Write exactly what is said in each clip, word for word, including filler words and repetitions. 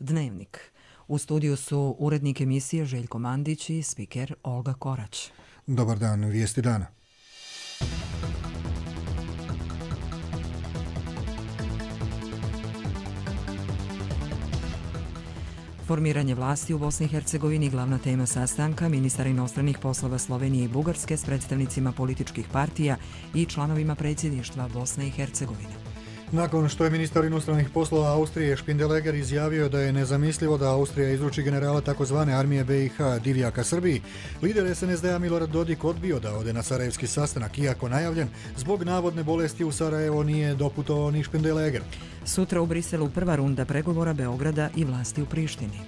Dnevnik. U studiju su urednik emisije Željko Mandić i spiker Olga Korać. Dobar dan, vijesti dana. Formiranje vlasti u Bosni i Hercegovini glavna tema sastanka ministar inostranih poslova Slovenije i Bugarske s predstavnicima političkih partija i članovima predsjedništva Bosne i Hercegovine. Nakon što je ministar inostranih poslova Austrije Špindeleger izjavio da je nezamislivo da Austrija izruči generala takozvane armije B i H Divjaka Srbiji, lider S N S D-a Milorad Dodik odbio da ode na sarajevski sastanak, iako najavljen, zbog navodne bolesti u Sarajevo nije doputovao ni Špindeleger. Sutra u Briselu prva runda pregovora Beograda i vlasti u Prištini.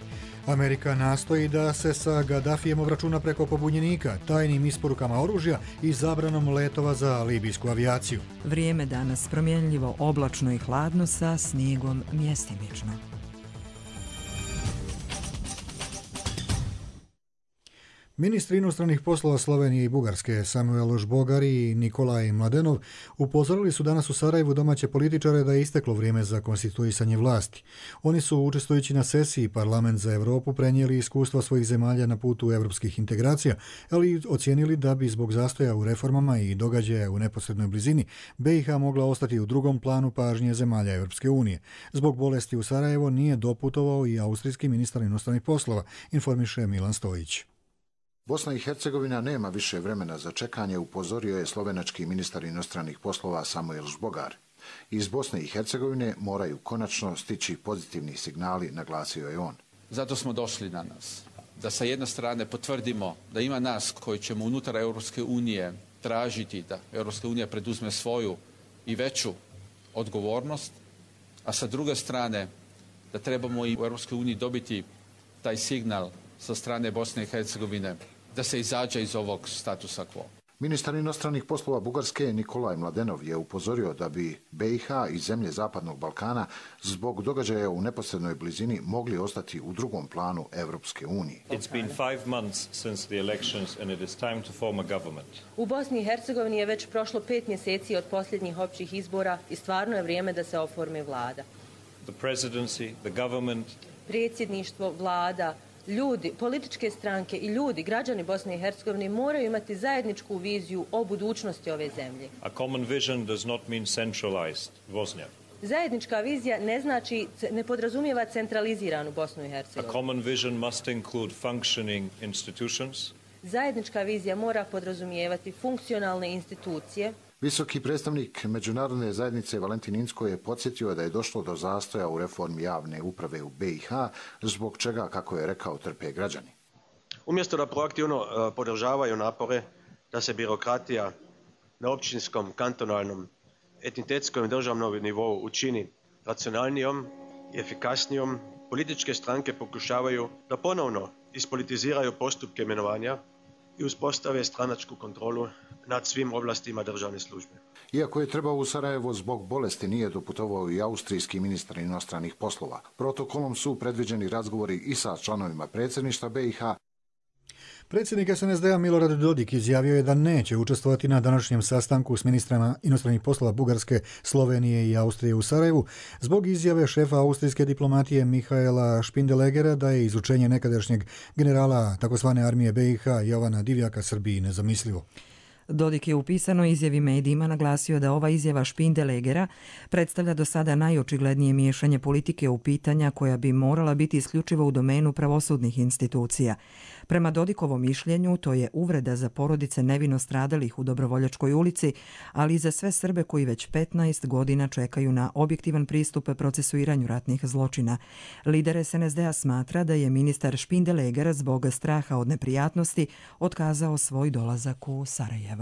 Amerika nastoji da se sa Gaddafijem obračuna preko pobunjenika, tajnim isporukama oružja i zabranom letova za libijsku avijaciju. Vrijeme danas promjenljivo, oblačno i hladno sa snijegom mjestimično. Ministri inostranih poslova Slovenije i Bugarske Samuel Žbogar i Nikolaj Mladenov upozorili su danas u Sarajevu domaće političare da je isteklo vrijeme za konstituisanje vlasti. Oni su, učestvujući na sesiji Parlament za Europu, prenijeli iskustva svojih zemalja na putu evropskih integracija, ali ocijenili da bi zbog zastoja u reformama i događaja u neposrednoj blizini B i H mogla ostati u drugom planu pažnje zemalja Evropske unije. Zbog bolesti u Sarajevo nije doputovao i austrijski ministar inostranih poslova, informiše Milan Stojić. Bosna i Hercegovina nema više vremena za čekanje, upozorio je slovenački ministar inostranih poslova Samuel Žbogar. Iz Bosne i Hercegovine moraju konačno stići pozitivni signali, naglasio je on. Zato smo došli na nas. Da sa jedne strane potvrdimo da ima nas koji ćemo unutar Europske unije tražiti da Europska unija preduzme svoju i veću odgovornost, a sa druge strane da trebamo i u Europskoj uniji dobiti taj signal sa strane Bosne i Hercegovine da se izađe iz ovog statusa quo. Ministar inostranih poslova Bugarske Nikolaj Mladenov je upozorio da bi B i H i zemlje Zapadnog Balkana zbog događaja u neposrednoj blizini mogli ostati u drugom planu Evropske unije. U Bosni i Hercegovini je već prošlo pet mjeseci od posljednjih općih izbora i stvarno je vrijeme da se oformi vlada. The presidency, the government, predsjedništvo, vlada, ljudi, političke stranke i ljudi, građani Bosne i Hercegovine moraju imati zajedničku viziju o budućnosti ove zemlje. A common vision does not mean centralized Bosnia. Zajednička vizija ne znači, ne podrazumijeva centraliziranu Bosnu i Hercegovinu. A common vision must include functioning institutions. Zajednička vizija mora podrazumijevati funkcionalne institucije. Visoki predstavnik međunarodne zajednice Valentin Inzko je podsjetio da je došlo do zastoja u reformi javne uprave u B i H, zbog čega, kako je rekao, trpe građani. Umjesto da proaktivno podržavaju napore da se birokratija na općinskom, kantonalnom, etnitetskom i državnom nivou učini racionalnijom i efikasnijom, političke stranke pokušavaju da ponovno ispolitiziraju postupke imenovanja i uspostave stranačku kontrolu nad svim oblastima državne službe. Iako je trebao u Sarajevo zbog bolesti, nije doputovao i austrijski ministar inostranih poslova. Protokolom su predviđeni razgovori i sa članovima predsjedništva B i H. Predsjednik S N S D-a Milorad Dodik izjavio je da neće učestvovati na današnjem sastanku s ministrama inostranih poslova Bugarske, Slovenije i Austrije u Sarajevu zbog izjave šefa austrijske diplomatije Mihaela Špindelegera da je izručenje nekadašnjeg generala takozvane armije B i H Jovana Divjaka Srbiji nezamislivo. Dodik je u pisanoj izjavi medijima naglasio da ova izjava Špindelegera predstavlja do sada najočiglednije miješanje politike u pitanja koja bi morala biti isključivo u domenu pravosudnih institucija. Prema Dodikovom mišljenju, to je uvreda za porodice nevino stradalih u Dobrovoljačkoj ulici, ali i za sve Srbe koji već petnaest godina čekaju na objektivan pristup procesuiranju ratnih zločina. Lider S N S D-a smatra da je ministar Špindeleger zbog straha od neprijatnosti otkazao svoj dolazak u Sarajevo.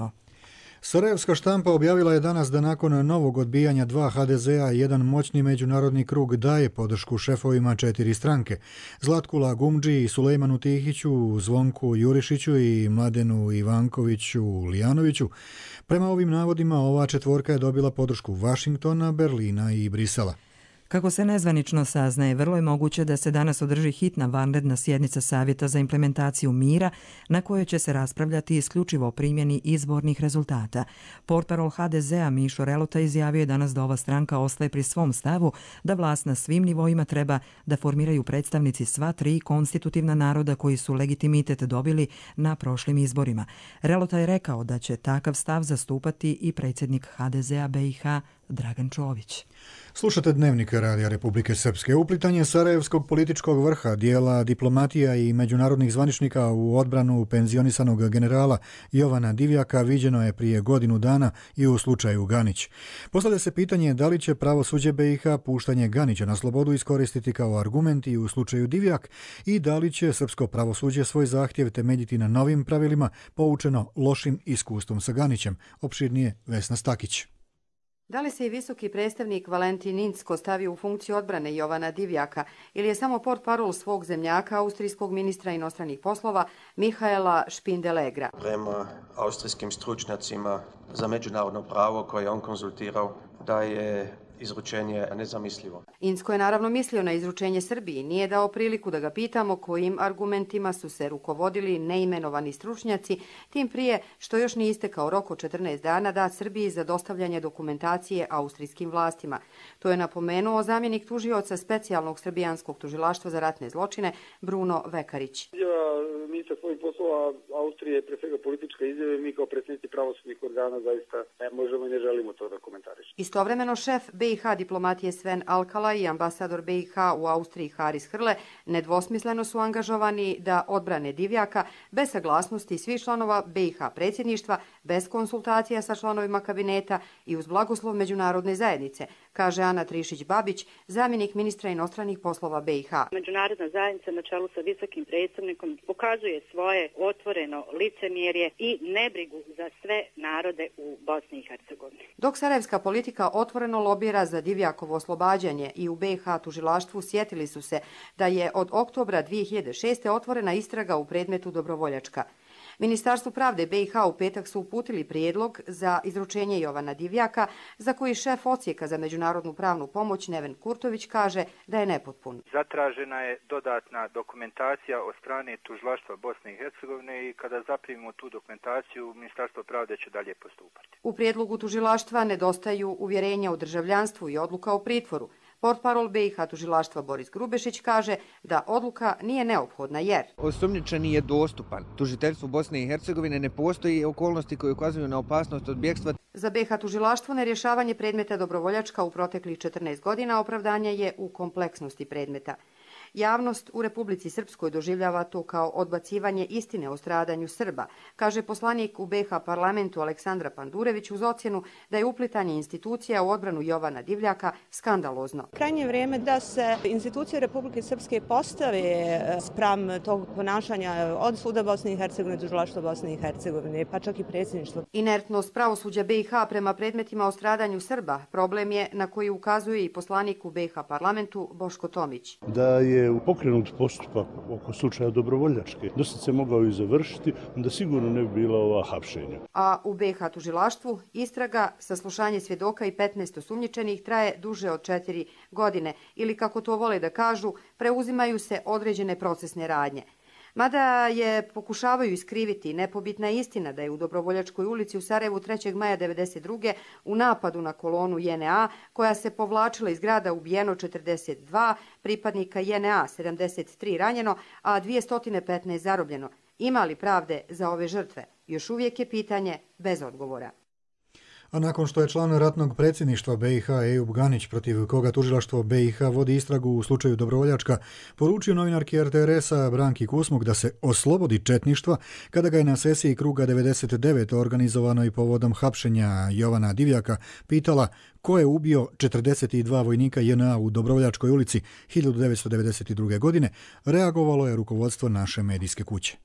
Sarajevska štampa objavila je danas da nakon novog odbijanja dva H D Z-a jedan moćni međunarodni krug daje podršku šefovima četiri stranke. Zlatku Lagumdži i Sulejmanu Tihiću, Zvonku Jurišiću i Mladenu Ivankoviću Lijanoviću. Prema ovim navodima ova četvorka je dobila podršku Vašingtona, Berlina i Brisela. Kako se nezvanično saznaje, vrlo je moguće da se danas održi hitna vanredna sjednica Savjeta za implementaciju mira na kojoj će se raspravljati isključivo o primjeni izbornih rezultata. Portparol ha de zea Mišo Relota izjavio je danas da ova stranka ostaje pri svom stavu da vlast na svim nivoima treba da formiraju predstavnici sva tri konstitutivna naroda koji su legitimitet dobili na prošlim izborima. Relota je rekao da će takav stav zastupati i predsjednik ha de zea be i ha Dragan Čović. Slušate Dnevnik Radija Republike Srpske. Uplitanje sarajevskog političkog vrha, dijela diplomatija i međunarodnih zvaničnika u odbranu penzionisanog generala Jovana Divjaka viđeno je prije godinu dana i u slučaju Ganić. Postavlja se pitanje da li će pravosuđe be i ha puštanje Ganića na slobodu iskoristiti kao argument i u slučaju Divjak i da li će srpsko pravosuđe svoj zahtjev temeljiti na novim pravilima poučeno lošim iskustvom sa Ganićem. Opširnije Vesna Stakić. Da li se i visoki predstavnik Valentin Incko stavio u funkciju odbrane Jovana Divjaka ili je samo portparol svog zemljaka, austrijskog ministra inostranih poslova Mihaela Špindelegra? Prema austrijskim stručnjacima za međunarodno pravo koje je on konzultirao da je izručenje nezamislivo. Incko je naravno mislio na izručenje Srbiji, nije dao priliku da ga pitamo kojim argumentima su se rukovodili neimenovani stručnjaci, tim prije što još nije istekao rok od četrnaest dana dat Srbiji za dostavljanje dokumentacije austrijskim vlastima. To je napomenuo zamjenik tužioca specijalnog srbijanskog tužilaštva za ratne zločine Bruno Vekarić. Ministar svojih poslova Austrije je pre svega politička izjava i mi kao predsjednici pravosudnih organa zaista ne možemo i ne želimo to da komentarišemo. Istovremeno šef be i ha diplomatije Sven Alkala i ambasador be i ha u Austriji Haris Hrle nedvosmisleno su angažovani da odbrane Divjaka bez saglasnosti svih članova be i ha predsjedništva, bez konsultacija sa članovima kabineta i uz blagoslov međunarodne zajednice, kaže Ana Trišić-Babić, zamjenik ministra inostranih poslova be i ha. Međunarodna zajednica na čelu sa visokim predstavnikom pokazuje svoje otvoreno licemjerje i nebrigu za sve narode u Bosni i Hercegovini. Dok sarajevska politika otvoreno lobira za Divjakovo oslobađanje i u be i ha tužilaštvu sjetili su se da je od oktobra dvije hiljade šeste. otvorena istraga u predmetu Dobrovoljačka. Ministarstvu pravde be i ha u petak su uputili prijedlog za izručenje Jovana Divjaka, za koji šef odsjeka za međunarodnu pravnu pomoć Neven Kurtović kaže da je nepotpun. Zatražena je dodatna dokumentacija od strane tužilaštva Bosne i Hercegovine i kada zaprimimo tu dokumentaciju, Ministarstvo pravde će dalje postupati. U prijedlogu tužilaštva nedostaju uvjerenja o državljanstvu i odluka o pritvoru. Portparol be i ha tužilaštva Boris Grubešić kaže da odluka nije neophodna jer osumnjičeni je dostupan. Tužiteljstvu Bosne i Hercegovine ne postoji okolnosti koje ukazuju na opasnost od bjegstva. Za be i ha tužilaštvo nerješavanje predmeta Dobrovoljačka u proteklih četrnaest godina opravdanje je u kompleksnosti predmeta. Javnost u Republici Srpskoj doživljava to kao odbacivanje istine o stradanju Srba, kaže poslanik u be i ha parlamentu Aleksandra Pandurević uz ocjenu da je uplitanje institucija u odbranu Jovana Divjaka skandalozno. Krajnje vrijeme da se institucije Republike Srpske postave spram tog ponašanja od Suda Bosne i Hercegovine, tužilaštva Bosne i Hercegovine, pa čak i predsjedništvo. Inertnost pravosuđa be i ha prema predmetima o stradanju Srba problem je na koji ukazuje i poslanik u be i ha parlamentu Boško Tomić. Da je u pokrenut postupak oko slučaja Dobrovoljačke, dosta se mogao i završiti, onda sigurno ne bi bila ova hapšenja. A u be i ha tužilaštvu istraga, saslušanje svjedoka i petnaest osumnjičenih traje duže od četiri godine ili, kako to vole da kažu, preuzimaju se određene procesne radnje. Mada je pokušavaju iskriviti nepobitna istina da je u Dobrovoljačkoj ulici u Sarajevu trećeg maja devedeset druge u napadu na kolonu je en a koja se povlačila iz grada ubijeno četrdeset dva pripadnika je en a, sedamdeset tri ranjeno, a dvjesto petnaest zarobljeno. Ima li pravde za ove žrtve? Još uvijek je pitanje bez odgovora. A nakon što je član ratnog predsjedništva be i ha Ejub Ganić, protiv koga tužilaštvo be i ha vodi istragu u slučaju Dobrovoljačka, poručio novinarki er te er esa Branki Kusmuk da se oslobodi četništva kada ga je na sesiji kruga devedeset devet organizovanoj povodom hapšenja Jovana Divjaka pitala ko je ubio četrdeset dva vojnika je en a u Dobrovoljačkoj ulici hiljadu devetsto devedeset druge. godine, reagovalo je rukovodstvo naše medijske kuće.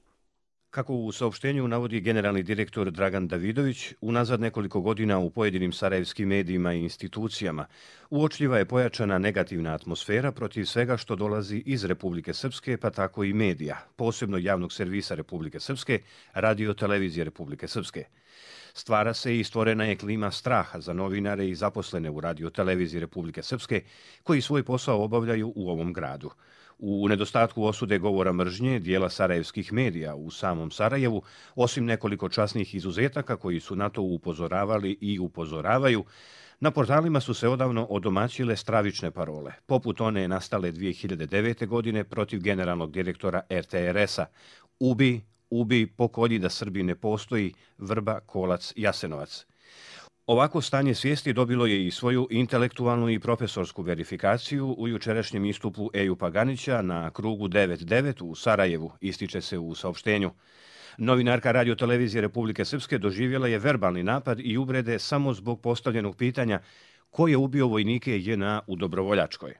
Kako u saopštenju navodi generalni direktor Dragan Davidović, unazad nekoliko godina u pojedinim sarajevskim medijima i institucijama uočljiva je pojačana negativna atmosfera protiv svega što dolazi iz Republike Srpske, pa tako i medija, posebno javnog servisa Republike Srpske, radio televizije Republike Srpske. Stvara se i stvorena je klima straha za novinare i zaposlene u Radio-televiziji Republike Srpske koji svoj posao obavljaju u ovom gradu. U nedostatku osude govora mržnje dijela sarajevskih medija u samom Sarajevu, osim nekoliko časnih izuzetaka koji su na to upozoravali i upozoravaju, na portalima su se odavno odomaćile stravične parole, poput one nastale dvije hiljade devete. godine protiv generalnog direktora er te er es-a Ubi, ubi, pokolji da Srbi ne postoji, Vrba, Kolac, Jasenovac. Ovako stanje svijesti dobilo je i svoju intelektualnu i profesorsku verifikaciju u jučerašnjem istupu Ejupa Ganića na krugu devet devet u Sarajevu, ističe se u saopštenju. Novinarka Radio-televizije Republike Srpske doživjela je verbalni napad i uvrede samo zbog postavljenog pitanja ko je ubio vojnike je en a u Dobrovoljačkoj.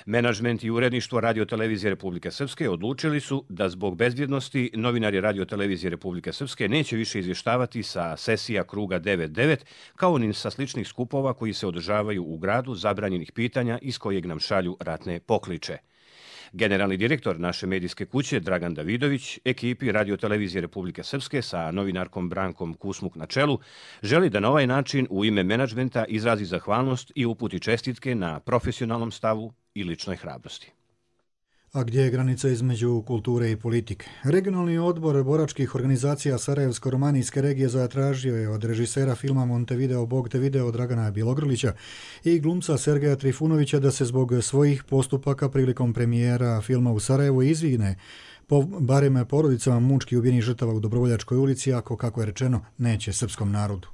Menadžment i uredništvo Radio-televizije Republike Srpske odlučili su da zbog bezbjednosti novinari Radio-televizije Republike Srpske neće više izvještavati sa sesija kruga devet devet kao ni sa sličnih skupova koji se održavaju u gradu zabranjenih pitanja iz kojeg nam šalju ratne pokliče. Generalni direktor naše medijske kuće Dragan Davidović ekipi Radio-televizije Republike Srpske sa novinarkom Brankom Kusmuk na čelu želi da na ovaj način u ime menadžmenta izrazi zahvalnost i uputi čestitke na profesionalnom stavu i ličnoj hrabrosti. A gdje je granica između kulture i politike? Regionalni odbor boračkih organizacija Sarajevsko-romanijske regije zatražio je od režisera filma Montevideo Bog te video Dragana Bjelogrlića i glumca Sergeja Trifunovića da se zbog svojih postupaka prilikom premijera filma u Sarajevu izvine po barem porodicama mučki ubijenih žrtava u Dobrovoljačkoj ulici, ako, kako je rečeno, neće srpskom narodu.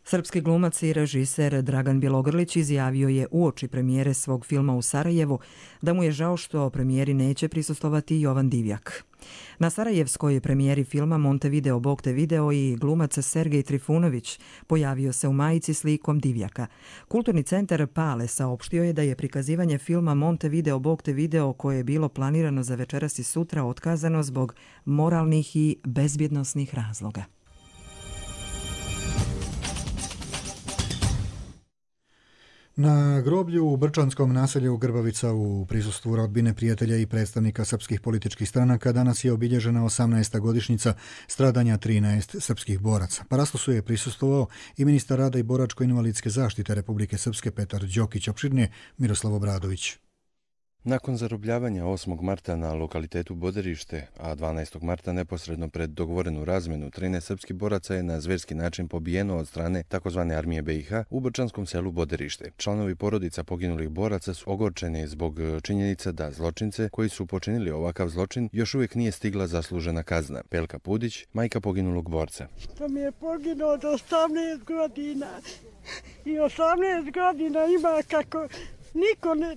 Srpski glumac i režiser Dragan Bjelogrlić izjavio je uoči premijere svog filma u Sarajevu da mu je žao što premijeri neće prisustvovati Jovan Divjak. Na sarajevskoj premijeri filma Montevideo Bog te video i glumac Sergej Trifunović pojavio se u majici s likom Divjaka. Kulturni centar Pale saopštio je da je prikazivanje filma Montevideo Bog te video koje je bilo planirano za večeras i sutra otkazano zbog moralnih i bezbjednosnih razloga. Na groblju u Brčanskom naselju Grbavica u prisustvu rodbine, prijatelja i predstavnika srpskih političkih stranaka danas je obilježena osamnaesta godišnjica stradanja trinaest srpskih boraca. Parastosu je prisustvovao i ministar rada i boračko-invalidske zaštite Republike Srpske Petar Đokić, opširnije Miroslav Obradović. Nakon zarobljavanja osmog marta na lokalitetu Boderište, a dvanaestog marta neposredno pred dogovorenu razmenu, trinaest srpskih boraca je na zverski način pobijeno od strane takozvane armije be i ha u brčanskom selu Boderište. Članovi porodica poginulih boraca su ogorčeni zbog činjenica da zločince koji su počinili ovakav zločin još uvijek nije stigla zaslužena kazna. Pelka Pudić, majka poginulog borca. To mi je poginuo od osamnaest godina i osamnaest godina ima kako... Niko ne,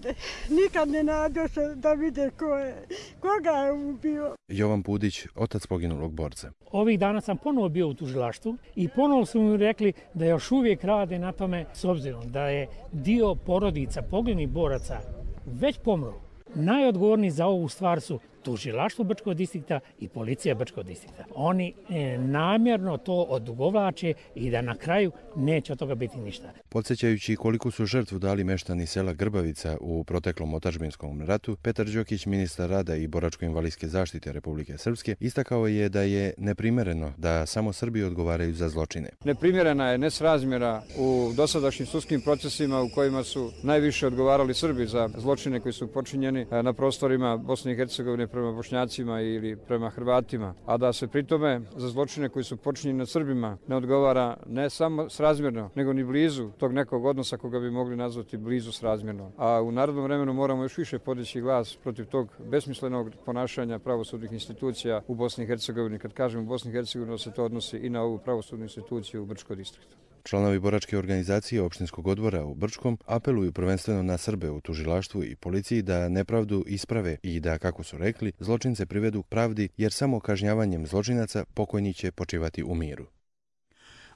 nikad ne nađe se da vide ko je, koga je ubio. Jovan Pudić, otac poginulog borca. Ovih dana sam ponovo bio u tužilaštvu i ponovo su mi rekli da još uvijek rade na tome, s obzirom da je dio porodica poginulih boraca već pomro. Najodgovorniji za ovu stvar su tužilaštvo Brčkog distrikta i policija Brčkog distrikta. Oni e, namjerno to odugovlače i da na kraju neće od toga biti ništa. Podsjećajući koliko su žrtvu dali meštani sela Grbavica u proteklom otadžbinskom ratu, Petar Đokić, ministar rada i boračko-invalidske zaštite Republike Srpske, istakao je da je neprimereno da samo Srbi odgovaraju za zločine. Neprimjerena je nesrazmjera u dosadašnjim sudskim procesima u kojima su najviše odgovarali Srbi za zločine koji su počinjeni na prostorima Bosne i Hercegovine prema Bošnjacima ili prema Hrvatima, a da se pritome za zločine koji su počinjeni nad Srbima ne odgovara ne samo srazmjerno, nego ni blizu tog nekog odnosa koga bi mogli nazvati blizu srazmjerno. A u narodnom vremenu moramo još više podići glas protiv tog besmislenog ponašanja pravosudnih institucija u Bosni i Hercegovini. Kad kažem u Bosni i Hercegovini, se to odnosi i na ovu pravosudnu instituciju u Brčkom distriktu. Članovi boračke organizacije opštinskog odbora u Brčkom apeluju prvenstveno na Srbe u tužilaštvu i policiji da nepravdu isprave i da, kako su rekli, zločince privedu pravdi, jer samo kažnjavanjem zločinaca pokojni će počivati u miru.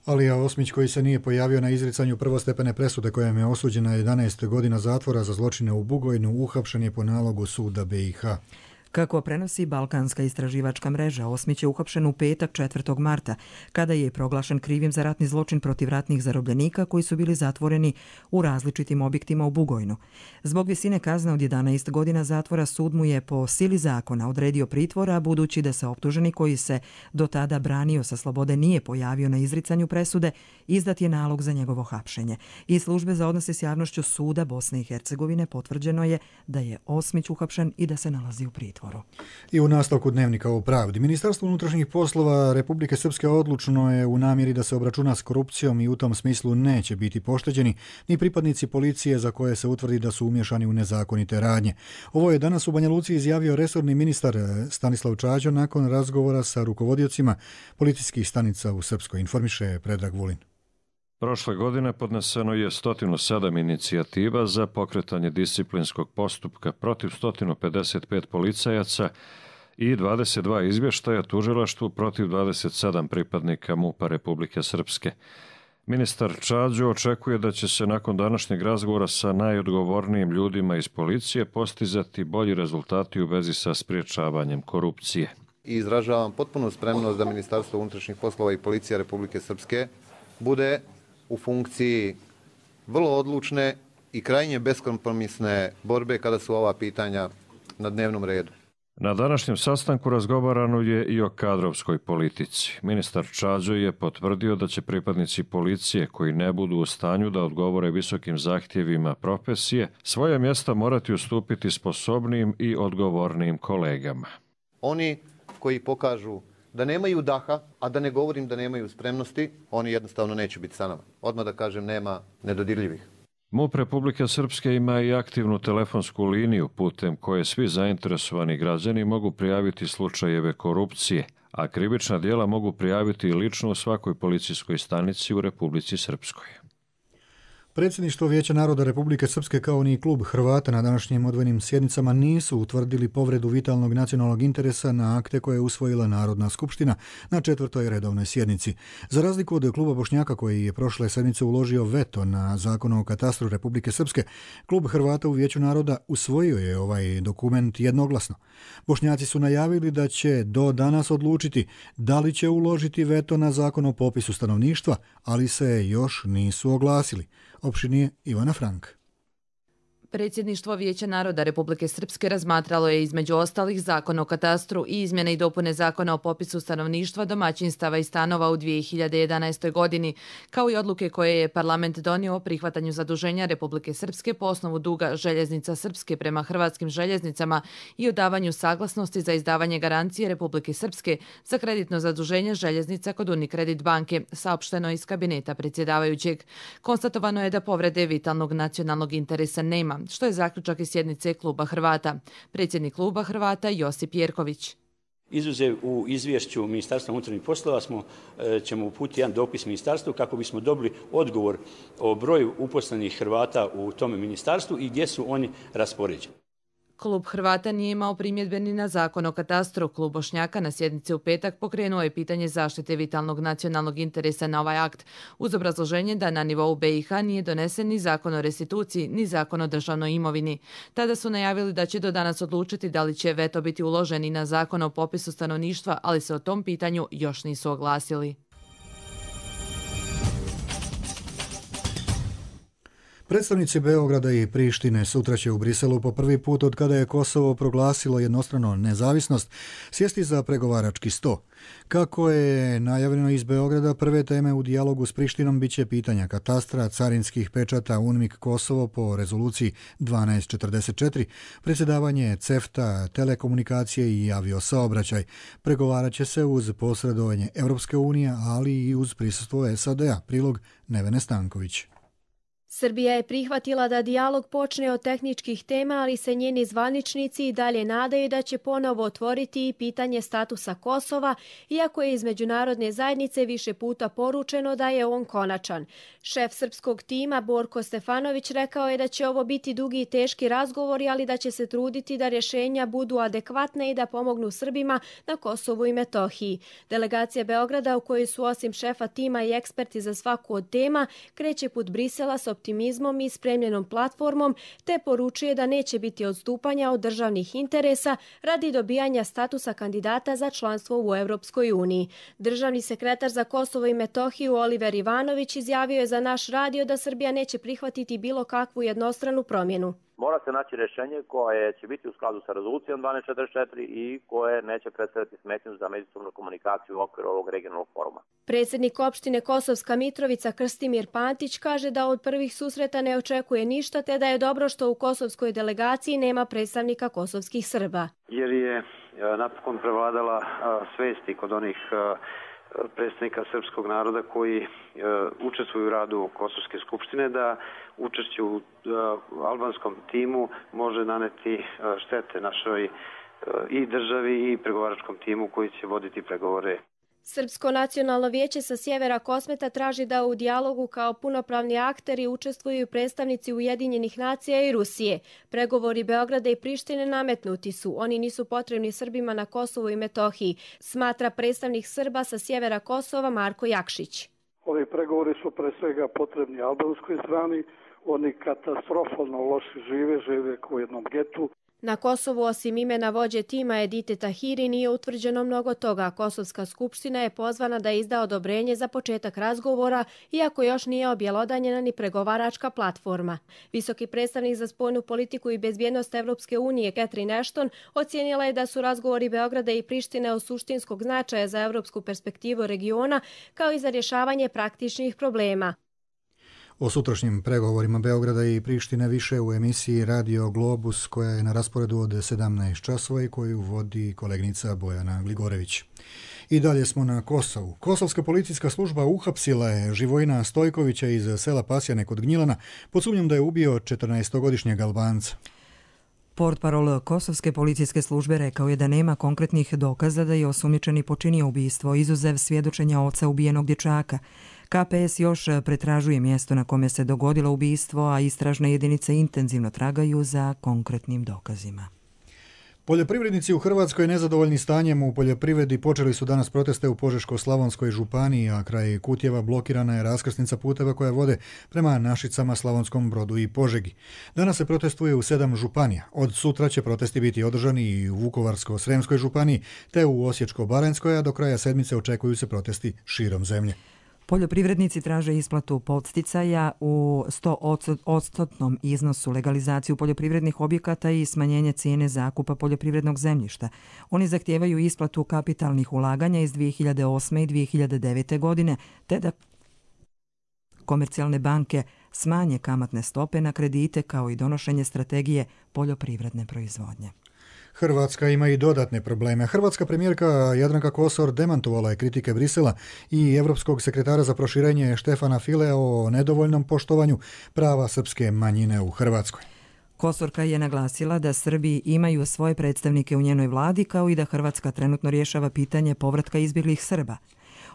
Alija Osmić, koji se nije pojavio na izricanju prvostepene presude kojom je osuđena jedanaest godina zatvora za zločine u Bugojnu, uhapšen je po nalogu suda be i ha. Kako prenosi Balkanska istraživačka mreža, Osmić je uhapšen u petak četvrtog marta, kada je proglašen krivim za ratni zločin protiv ratnih zarobljenika koji su bili zatvoreni u različitim objektima u Bugojnu. Zbog visine kazne od jedanaest godina zatvora sud mu je po sili zakona odredio pritvora, budući da se optuženi koji se do tada branio sa slobode nije pojavio na izricanju presude, izdat je nalog za njegovo hapšenje. Iz službe za odnose s javnošću suda Bosne i Hercegovine potvrđeno je da je Osmić uhapšen i da se nalazi u pritvoru. I u nastavku dnevnika o pravdi. Ministarstvo unutrašnjih poslova Republike Srpske odlučno je u namjeri da se obračuna s korupcijom i u tom smislu neće biti pošteđeni ni pripadnici policije za koje se utvrdi da su umješani u nezakonite radnje. Ovo je danas u Banja Luci izjavio resorni ministar Stanislav Čađo nakon razgovora sa rukovodiocima policijskih stanica u Srpskoj, informiše Predrag Vulin. Prošle godine podneseno je sto sedam inicijativa za pokretanje disciplinskog postupka protiv sto pedeset pet policajaca i dvadeset dva izvještaja tužilaštvu protiv dvadeset sedam pripadnika M U P-a Republike Srpske. Ministar Čađo očekuje da će se nakon današnjeg razgovora sa najodgovornijim ljudima iz policije postizati bolji rezultati u vezi sa spriječavanjem korupcije. I izražavam potpunu spremnost da Ministarstvo unutrašnjih poslova i Policija Republike Srpske bude u funkciji vrlo odlučne i krajnje beskompromisne borbe kada su ova pitanja na dnevnom redu. Na današnjem sastanku razgovarano je i o kadrovskoj politici. Ministar Čađo je potvrdio da će pripadnici policije koji ne budu u stanju da odgovore visokim zahtjevima profesije svoja mjesta morati ustupiti sposobnim i odgovornim kolegama. Oni koji pokažu da nemaju daha, a da ne govorim da nemaju spremnosti, oni jednostavno neće biti sa nama. Odmah da kažem, nema nedodirljivih. M U P Republike Srpske ima i aktivnu telefonsku liniju putem koje svi zainteresovani građani mogu prijaviti slučajeve korupcije, a krivična djela mogu prijaviti i lično u svakoj policijskoj stanici u Republici Srpskoj. Predsjedništvo Vijeća naroda Republike Srpske kao ni klub Hrvata na današnjim odvojenim sjednicama nisu utvrdili povredu vitalnog nacionalnog interesa na akte koje je usvojila Narodna skupština na četvrtoj redovnoj sjednici. Za razliku od kluba Bošnjaka koji je prošle sedmice uložio veto na Zakon o katastru Republike Srpske, klub Hrvata u Vijeću naroda usvojio je ovaj dokument jednoglasno. Bošnjaci su najavili da će do danas odlučiti da li će uložiti veto na Zakon o popisu stanovništva, ali se još nisu oglasili. Opšinije Ivana Frank. Predsjedništvo Vijeća naroda Republike Srpske razmatralo je između ostalih Zakon o katastru i izmjene i dopune Zakona o popisu stanovništva, domaćinstava i stanova u dvije hiljade jedanaestoj. godini, kao i odluke koje je parlament donio o prihvatanju zaduženja Republike Srpske po osnovu duga Željeznica Srpske prema Hrvatskim željeznicama i o davanju saglasnosti za izdavanje garancije Republike Srpske za kreditno zaduženje željeznica kod Unikredit banke, saopšteno iz kabineta predsjedavajućeg. Konstatovano je da povrede vitalnog nacionalnog interesa nema, što je zaključak iz sjednice kluba Hrvata. Predsjednik kluba Hrvata Josip Jerković. Izuzev u izvješću Ministarstva unutarnjih poslova smo, ćemo uputiti jedan dopis ministarstvu kako bismo dobili odgovor o broju uposlenih Hrvata u tome ministarstvu i gdje su oni raspoređeni. Klub Hrvata nije imao primjedbe ni na Zakon o katastru. Klub Bošnjaka na sjednici u petak pokrenuo je pitanje zaštite vitalnog nacionalnog interesa na ovaj akt, uz obrazloženje da na nivou B i H nije donesen ni Zakon o restituciji, ni Zakon o državnoj imovini. Tada su najavili da će do danas odlučiti da li će veto biti uložen i na Zakon o popisu stanovništva, ali se o tom pitanju još nisu oglasili. Predstavnici Beograda i Prištine sutra će u Briselu po prvi put od kada je Kosovo proglasilo jednostrano nezavisnost sjesti za pregovarački sto. Kako je najavljeno iz Beograda, prve teme u dijalogu s Prištinom biće pitanja katastra, carinskih pečata, UNMIK Kosovo po rezoluciji dvanaest četrdeset četiri, predsjedavanje CEFTA, telekomunikacije i aviosaobraćaj. Pregovarat će se uz posredovanje Europske unije, ali i uz prisustvo S A D-a. Prilog Nevene Stanković. Srbija je prihvatila da dijalog počne od tehničkih tema, ali se njeni zvaničnici i dalje nadaju da će ponovo otvoriti i pitanje statusa Kosova, iako je iz međunarodne zajednice više puta poručeno da je on konačan. Šef srpskog tima Borko Stefanović rekao je da će ovo biti dugi i teški razgovori, ali da će se truditi da rješenja budu adekvatne i da pomognu Srbima na Kosovu i Metohiji. Delegacija Beograda, u kojoj su osim šefa tima i eksperti za svaku od tema, kreće put Brisela s optimizmom optimizmom i spremljenom platformom, te poručuje da neće biti odstupanja od državnih interesa radi dobijanja statusa kandidata za članstvo u Europskoj uniji. Državni sekretar za Kosovo i Metohiju Oliver Ivanović izjavio je za naš radio da Srbija neće prihvatiti bilo kakvu jednostranu promjenu. Mora se naći rješenje koje će biti u skladu sa rezolucijom dvanaest četrdeset četiri i koje neće predstavljati smetnju za međusobnu komunikaciju u okviru ovog regionalnog foruma. Predsjednik opštine Kosovska Mitrovica Krstimir Pantić kaže da od prvih susreta ne očekuje ništa, te da je dobro što u kosovskoj delegaciji nema predstavnika kosovskih Srba. Jer je napokon prevladala svesti kod onih predstavnika srpskog naroda koji e, učestvuju u radu Kosovske skupštine da učešće u e, albanskom timu može naneti e, štete našoj e, i državi i pregovaračkom timu koji će voditi pregovore. Srpsko nacionalno vijeće sa sjevera Kosmeta traži da u dijalogu kao punopravni akteri učestvuju predstavnici Ujedinjenih nacija i Rusije. Pregovori Beograda i Prištine nametnuti su. Oni nisu potrebni Srbima na Kosovu i Metohiji, smatra predstavnik Srba sa sjevera Kosova Marko Jakšić. Ovi pregovori su pre svega potrebni albanskoj strani. Oni katastrofalno loši žive, žive u jednom getu. Na Kosovu osim imena vođe tima Edite Tahiri nije utvrđeno mnogo toga. Kosovska skupština je pozvana da izda odobrenje za početak razgovora, iako još nije objelodanjena ni pregovaračka platforma. Visoki predstavnik za spoljnu politiku i bezbjednost Evropske unije Catherine Ashton ocijenila je da su razgovori Beograda i Prištine od suštinskog značaja za evropsku perspektivu regiona, kao i za rješavanje praktičnih problema. O sutrašnjim pregovorima Beograda i Prištine više u emisiji Radio Globus koja je na rasporedu od sedamnaest časova i koju vodi kolegnica Bojana Gligorević. I dalje smo na Kosovu. Kosovska policijska služba uhapsila je Živojina Stojkovića iz sela Pasjane kod Gnjilana pod sumnjom da je ubio četrnaestogodišnjeg Albanca. Portparol Kosovske policijske službe rekao je da nema konkretnih dokaza da je osumnjičeni počinio ubistvo, izuzev svjedočenja oca ubijenog dječaka. K P S još pretražuje mjesto na kome se dogodilo ubistvo, a istražne jedinice intenzivno tragaju za konkretnim dokazima. Poljoprivrednici u Hrvatskoj nezadovoljni stanjem u poljoprivredi počeli su danas proteste u Požeško-slavonskoj županiji, a kraj Kutjeva blokirana je raskrsnica puteva koja vode prema Našicama, Slavonskom Brodu i Požegi. Danas se protestuje u sedam županija. Od sutra će protesti biti održani i u Vukovarsko-sremskoj županiji te u Osječko-baranjskoj, a do kraja sedmice očekuju se protesti širom zemlje. Poljoprivrednici traže isplatu podsticaja u sto odstotnom iznosu, legalizaciju poljoprivrednih objekata i smanjenje cijene zakupa poljoprivrednog zemljišta. Oni zahtijevaju isplatu kapitalnih ulaganja iz dvije hiljade osme i dvije hiljade devete. godine, te da komercijalne banke smanje kamatne stope na kredite kao i donošenje strategije poljoprivredne proizvodnje. Hrvatska ima i dodatne probleme. Hrvatska premijerka Jadranka Kosor demantovala je kritike Brisela i Europskog sekretara za proširenje Štefana Filea o nedovoljnom poštovanju prava srpske manjine u Hrvatskoj. Kosorka je naglasila da Srbi imaju svoje predstavnike u njenoj vladi, kao i da Hrvatska trenutno rješava pitanje povratka izbjeglih Srba.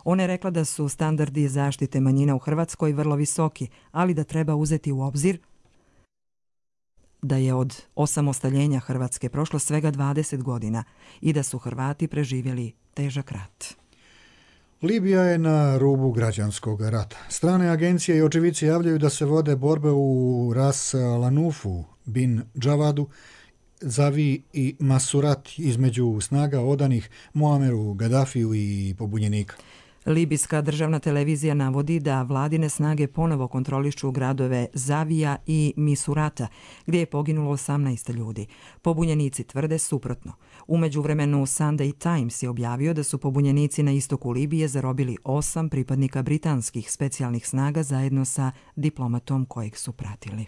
Ona je rekla da su standardi zaštite manjina u Hrvatskoj vrlo visoki, ali da treba uzeti u obzir da je od osamostaljenja Hrvatske prošlo svega dvadeset godina i da su Hrvati preživjeli težak rat. Libija je na rubu građanskog rata. Strane agencije i očevici javljaju da se vode borbe u Ras Lanufu, Bin Džavadu, Zavi i Masurat između snaga odanih Muameru Gaddafiju i pobunjenika. Libijska državna televizija navodi da vladine snage ponovo kontrolišu gradove Zavija i Misurata, gdje je poginulo osamnaest ljudi. Pobunjenici tvrde suprotno. U međuvremenu Sunday Times je objavio da su pobunjenici na istoku Libije zarobili osam pripadnika britanskih specijalnih snaga zajedno sa diplomatom kojeg su pratili.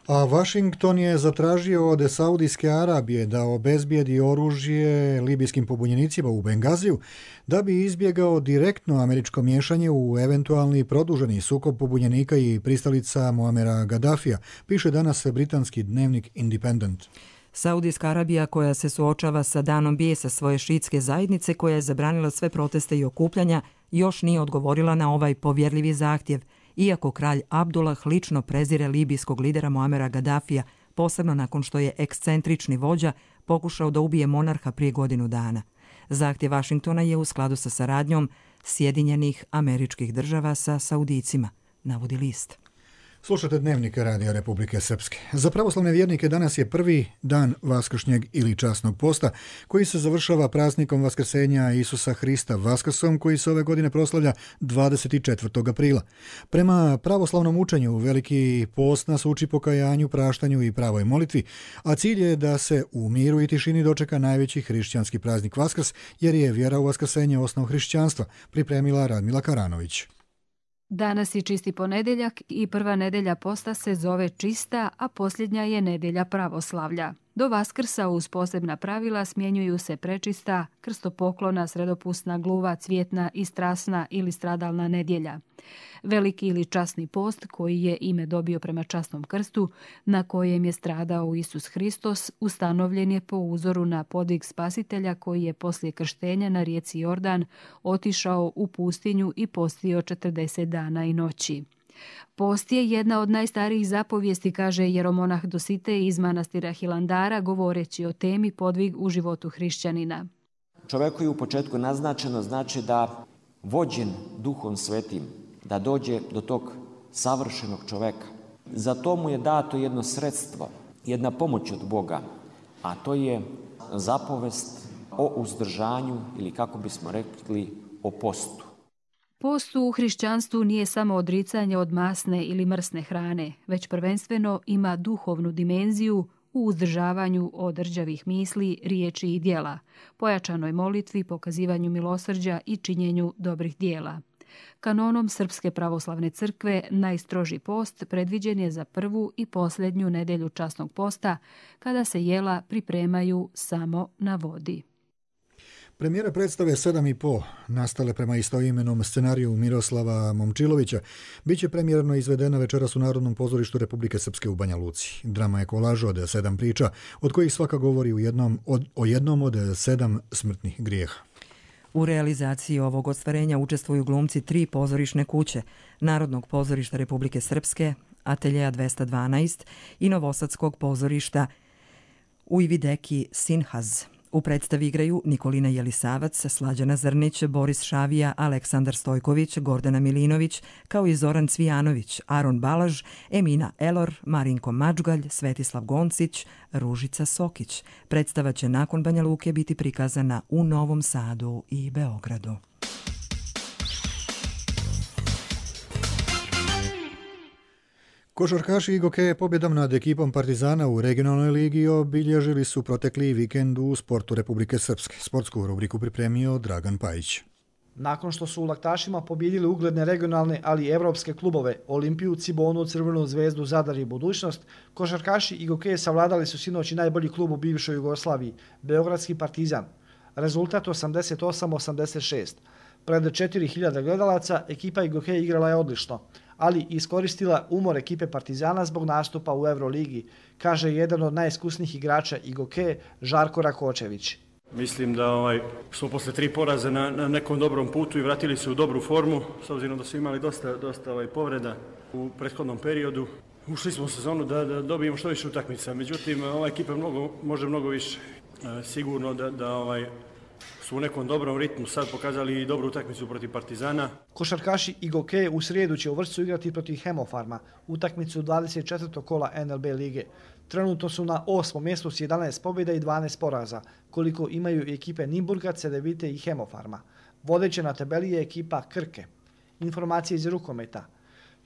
A Washington je zatražio od Saudijske Arabije da obezbijedi oružje libijskim pobunjenicima u Bengaziju da bi izbjegao direktno američko miješanje u eventualni produženi sukob pobunjenika i pristalica Muamera Gaddafija, piše danas britanski dnevnik Independent. Saudijska Arabija, koja se suočava sa danom bijesa svoje šiitske zajednice, koja je zabranila sve proteste i okupljanja, još nije odgovorila na ovaj povjerljivi zahtjev, iako kralj Abdullah lično prezire libijskog lidera Muamera Gaddafija, posebno nakon što je ekscentrični vođa pokušao da ubije monarha prije godinu dana. Zahtjev Vašingtona je u skladu sa saradnjom Sjedinjenih Američkih Država sa Saudijcima, navodi list. Slušate Dnevnik Radija Republike Srpske. Za pravoslavne vjernike danas je prvi dan vaskršnjeg ili časnog posta, koji se završava praznikom Vaskrsenja Isusa Hrista Vaskrsom, koji se ove godine proslavlja dvadeset četvrtog aprila. Prema pravoslavnom učenju, Veliki post nas uči pokajanju, praštanju i pravoj molitvi, a cilj je da se u miru i tišini dočeka najveći hrišćanski praznik Vaskrs, jer je vjera u vaskrsenje osnov hrišćanstva, pripremila Radmila Karanović. Danas je čisti ponedeljak i prva nedelja posta se zove čista, a posljednja je nedelja pravoslavlja. Do Vaskrsa uz posebna pravila smjenjuju se prečista, krstopoklona, sredopusna, gluva, cvjetna i strasna ili stradalna nedjelja. Veliki ili časni post, koji je ime dobio prema časnom krstu, na kojem je stradao Isus Hristos, ustanovljen je po uzoru na podvig Spasitelja koji je poslije krštenja na rijeci Jordan otišao u pustinju i postio četrdeset dana i noći. Post je jedna od najstarijih zapovijesti, kaže jeromonah Dositej iz manastira Hilandara, govoreći o temi podvig u životu hrišćanina. Čovjeku je u početku naznačeno znači da vođen Duhom Svetim, da dođe do tog savršenog čovjeka. Za to mu je dato jedno sredstvo, jedna pomoć od Boga, a to je zapovest o uzdržanju ili kako bismo rekli o postu. Post u hrišćanstvu nije samo odricanje od masne ili mrsne hrane, već prvenstveno ima duhovnu dimenziju u uzdržavanju od rđavih misli, riječi i djela, pojačanoj molitvi, pokazivanju milosrđa i činjenju dobrih djela. Kanonom Srpske pravoslavne crkve najstroži post predviđen je za prvu i posljednju nedelju časnog posta, kada se jela pripremaju samo na vodi. Premijera predstave sedam i po, nastale prema istoimenom scenariju Miroslava Momčilovića, bit će premijerno izvedena večeras u Narodnom pozorištu Republike Srpske u Banja Luci. Drama je kolaž od sedam priča, od kojih svaka govori u jednom od, o jednom od sedam smrtnih grijeha. U realizaciji ovog ostvarenja učestvuju glumci tri pozorišne kuće, Narodnog pozorišta Republike Srpske, Ateljeja dvesta dvanaest i Novosadskog pozorišta Ujvideki Sinhaz. U predstavi igraju Nikolina Jelisavac, Slađana Zrnić, Boris Šavija, Aleksandar Stojković, Gordana Milinović, kao i Zoran Cvijanović, Aron Balaž, Emina Elor, Marinko Mačgalj, Svetislav Goncić, Ružica Sokić. Predstava će nakon Banja Luke biti prikazana u Novom Sadu i Beogradu. Košarkaši Igoke pobjedom nad ekipom Partizana u regionalnoj ligi obilježili su protekli vikend u sportu Republike Srpske. Sportsku rubriku pripremio Dragan Pajić. Nakon što su u Laktašima pobjedili ugledne regionalne, ali i evropske klubove Olimpiju, Cibonu, Crvenu zvezdu, Zadar i Budućnost, košarkaši Igoke savladali su sinoć i najbolji klub u bivšoj Jugoslaviji, Beogradski Partizan. Rezultat osamdeset osam osamdeset šest. Pred četiri hiljade gledalaca ekipa Igoke igrala je odlično, ali iskoristila umor ekipe Partizana zbog nastupa u Euroligi, kaže jedan od najiskusnijih igrača Igoke, Žarko Rakočević. Mislim da ovaj, smo posle tri poraze na, na nekom dobrom putu i vratili se u dobru formu, s obzirom da su imali dosta, dosta ovaj, povreda u prethodnom periodu. Ušli smo u sezonu da, da dobijemo što više utakmica, međutim ova ekipa mnogo, može mnogo više. E, sigurno da, da ovaj, su u nekom dobrom ritmu sad pokazali i dobru utakmicu protiv Partizana. Košarkaši Igoke u srijedu će u Vršcu igrati protiv Hemofarma, utakmicu dvadeset četvrtog kola N L B lige. Trenutno su na osmom mjestu s jedanaest pobjeda i dvanaest poraza, koliko imaju ekipe Nimburga, Cedevite i Hemofarma. Vodeća na tabeli je ekipa Krke. Informacije iz rukometa.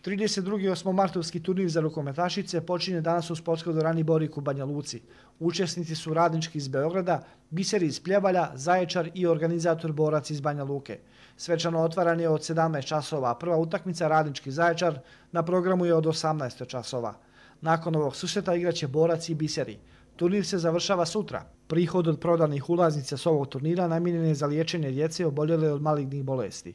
trideset drugi osmomartovski turnir za rukometašice počinje danas u sportskoj dvorani Borik u Banja Luci. Učesnici su Radnički iz Beograda, Biseri iz Pljevalja, Zaječar i organizator Borac iz Banja Luke. Svečano otvaranje od sedamnaest časova, prva utakmica Radnički Zaječar na programu je od osamnaest časova. Nakon ovog susreta igraće Borac i Biseri. Turnir se završava sutra. Prihod od prodanih ulaznica s ovog turnira namijenjen je za liječenje djece oboljele od malignih bolesti.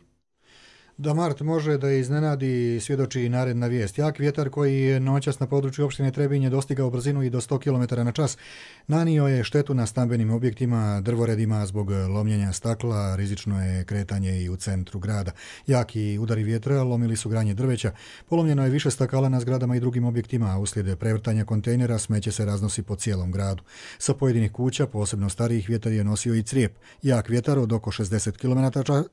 Da mart može da iznenadi, svjedoči i naredna vijest. Jak vjetar koji je noćas na području opštine Trebinje dostigao brzinu i do sto kilometara na čas, nanio je štetu na stambenim objektima, drvoredima zbog lomljenja stakla, rizično je kretanje i u centru grada. Jaki udari vjetra lomili su granje drveća, polomljeno je više stakala na zgradama i drugim objektima, a uslijed prevrtanja kontejnera smeće se raznosi po cijelom gradu. Sa pojedinih kuća, posebno starijih, vjetar je nosio i crijep. Jak vjetar od oko šezdeset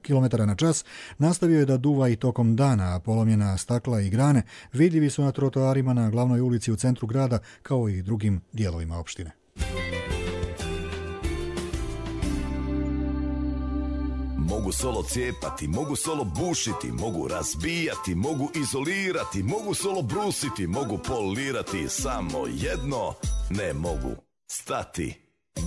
kilometara na čas nastavio je da da duva i tokom dana, a polomljena stakla i grane vidljivi su na trotoarima na glavnoj ulici u centru grada kao i drugim dijelovima opštine. Mogu solo cijepati, mogu solo bušiti, mogu razbijati, mogu izolirati, mogu solo brusiti, mogu polirati, samo jedno ne mogu stati.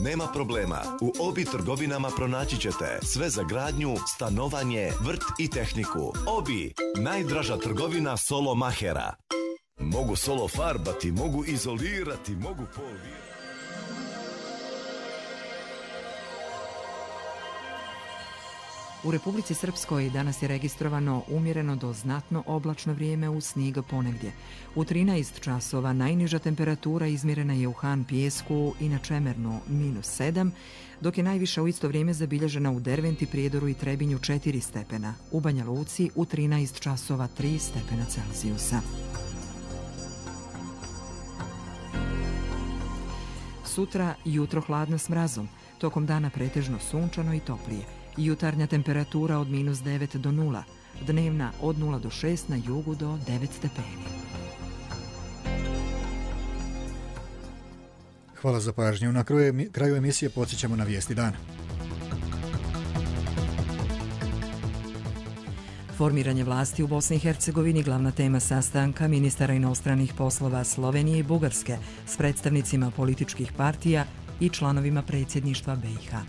Nema problema, u Obi trgovinama pronaći ćete sve za gradnju, stanovanje, vrt i tehniku. Obi, najdraža trgovina solo mahera. Mogu solo farbati, mogu izolirati, mogu polirati. U Republici Srpskoj danas je registrovano umjereno do znatno oblačno vrijeme uz snijeg ponegdje. U trinaest časova najniža temperatura izmjerena je u Han Pijesku i na Čemernu minus sedam, dok je najviša u isto vrijeme zabilježena u Derventi, Prijedoru i Trebinju četiri stepena. U Banja Luci u trinaest časova tri stepena Celzijusa. Sutra jutro hladno s mrazom, tokom dana pretežno sunčano i toplije. Jutarnja temperatura od minus devet do nula, dnevna od nula do šest, na jugu do devet stepeni. Hvala za pažnju. Na kraju emisije podsjećamo na vijesti dana. Formiranje vlasti u Bosni i Hercegovini glavna tema sastanka ministara inostranih poslova Slovenije i Bugarske s predstavnicima političkih partija i članovima predsjedništva B i H.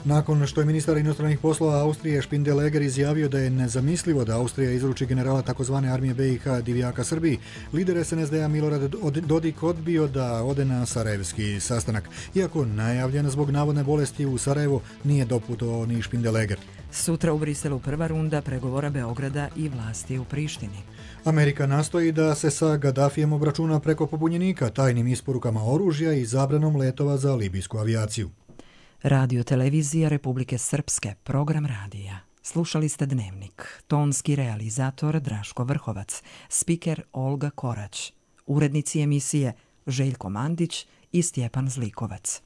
Nakon što je ministar inostranih poslova Austrije Špindeleger izjavio da je nezamislivo da Austrija izruči generala takozvane armije B i H Divjaka Srbiji, lider S N S D-a Milorad Dodik odbio da ode na sarajevski sastanak. Iako najavljen zbog navodne bolesti u Sarajevu, nije doputovao ni Špindeleger. Sutra u Briselu prva runda pregovora Beograda i vlasti u Prištini. Amerika nastoji da se sa Gaddafijem obračuna preko pobunjenika, tajnim isporukama oružja i zabranom letova za libijsku avijaciju. Radio televizija Republike Srpske, program radija. Slušali ste Dnevnik. Tonski realizator Draško Vrhovac, spiker Olga Korać, urednici emisije Željko Mandić i Stjepan Zlikovac.